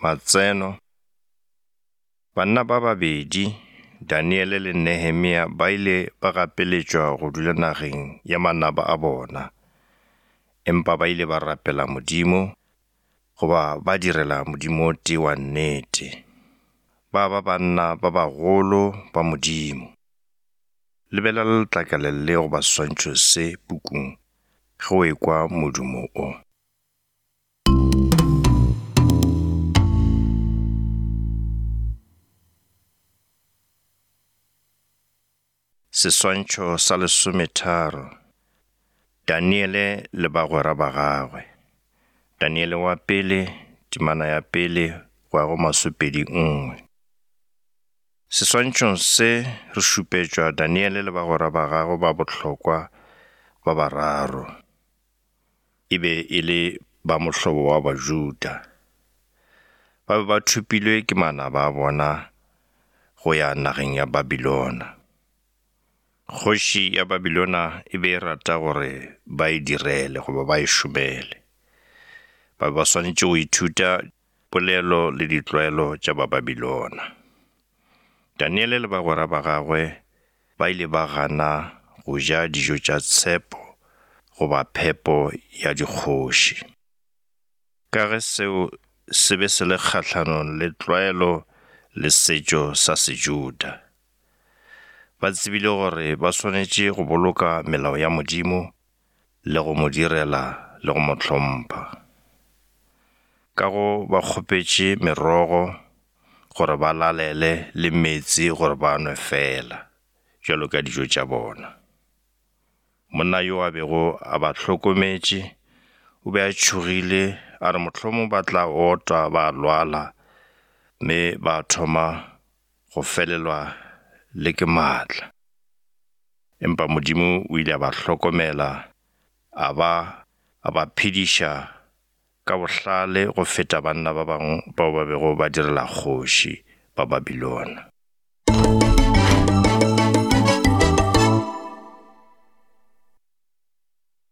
Matseno, Banna ba babedi, Daniele le Nehemia ba ile ba gapeletšwa go dula nageng ya manaba a bona, empa ba ile ba rapela Modimo goba ba direla Modimo o tee wa nnete. Ba ba banna ba bagolo ba Modimo. Lebelela letlakala le goba seswantšho se pukung ge o ekwa modumo o. Seswantšho sa lesometharo, Daniele le bagwera ba gagwe. Daniele wa pele, temana ya pele go ya go masopedi nngwe. Seswantšhong se re šupetšwa Daniele le bagwera ba gagwe ba bohlokwa ba bararo. E be e le ba mohlobo wa Bajuda. Ba be ba thopilwe ke manaba a bona go ya nageng ya Babilona. Kgoši ya Babilona e be e rata gore ba e direle goba ba e šomele. Ba be ba swanetše go ithuta polelo le ditlwaelo tša Bababilona. Daniele le bagwera ba gagwe ba ile ba gana go ja dijo tša tshepo goba phepo ya dikgoši. Ka ge seo se be se le kgahlanong le tlwaelo le setšo sa Sejuda. Ba tsebile gore ba swanetše go boloka melao ya Modimo le go mo direla le go mo hlompha. Ka go ba kgopetše merogo gore ba lalele le meetse gore ba nwe feela bjalo ka dijo tša bona. Monna yo a bego a ba hlokometše o be a tšhogile a re mohlomong ba tla otwa ba lwala mme ba thoma go felelwa le ke maatla. Empa Modimo o ile a ba hlokomela a ba a ba phediša ka bohlale go feta banna ba bangwe bao ba bego ba direla kgoši ba Babilona.